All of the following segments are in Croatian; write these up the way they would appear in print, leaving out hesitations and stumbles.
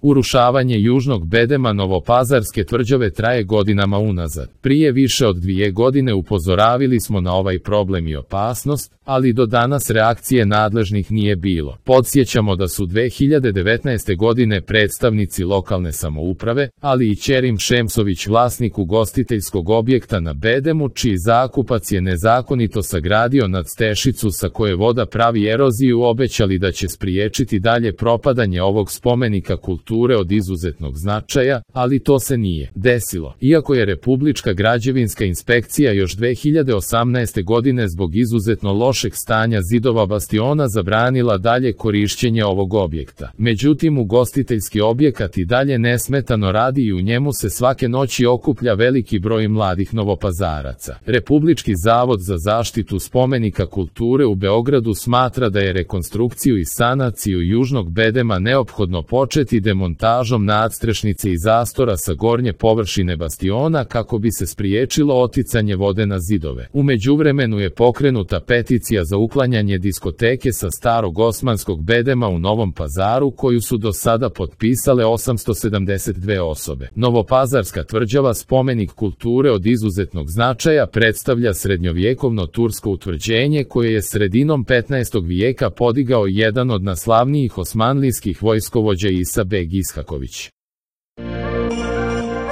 Urušavanje južnog bedema Novopazarske tvrđave traje godinama unazad. Prije više od 2 godine upozoravili smo na ovaj problem i opasnost, ali do danas reakcije nadležnih nije bilo. Podsjećamo da su 2019. godine predstavnici lokalne samouprave, ali i Ćerim Šemsović, vlasnik ugostiteljskog objekta na bedemu, čiji zakupac je nezakonito sagradio nadstešicu sa koje voda pravi eroziju, obećali da će spriječiti dalje propadanje ovog spomenika kulture od izuzetnog značaja, ali to se nije desilo. Iako je Republička građevinska inspekcija još 2018. godine zbog izuzetno lošeg stanja zidova bastiona zabranila dalje korišćenje ovog objekta. Međutim, ugostiteljski objekat i dalje nesmetano radi i u njemu se svake noći okuplja veliki broj mladih Novopazaraca. Republički zavod za zaštitu spomenika kulture u Beogradu smatra da je rekonstrukciju i sanaciju južnog bedema neophodno početi demontažom nadstrešnice i zastora sa gornje površine bastiona kako bi se spriječilo oticanje vode na zidove. U međuvremenu je pokrenuta peticija za uklanjanje diskoteke sa starog osmanskog bedema u Novom Pazaru, koju su do sada potpisale 872 osobe. Novopazarska tvrđava, spomenik kulture od izuzetnog značaja, predstavlja srednjovjekovno tursko utvrđenje koje je sredinom 15. vijeka podigao jedan od najslavnijih osmanlijskih vojskovođa Isa beg Ishaković.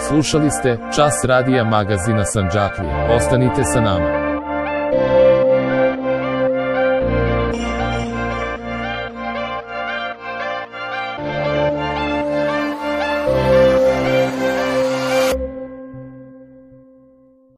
Slušali ste Čas radija magazina Sandžaklija. Ostanite sa nama.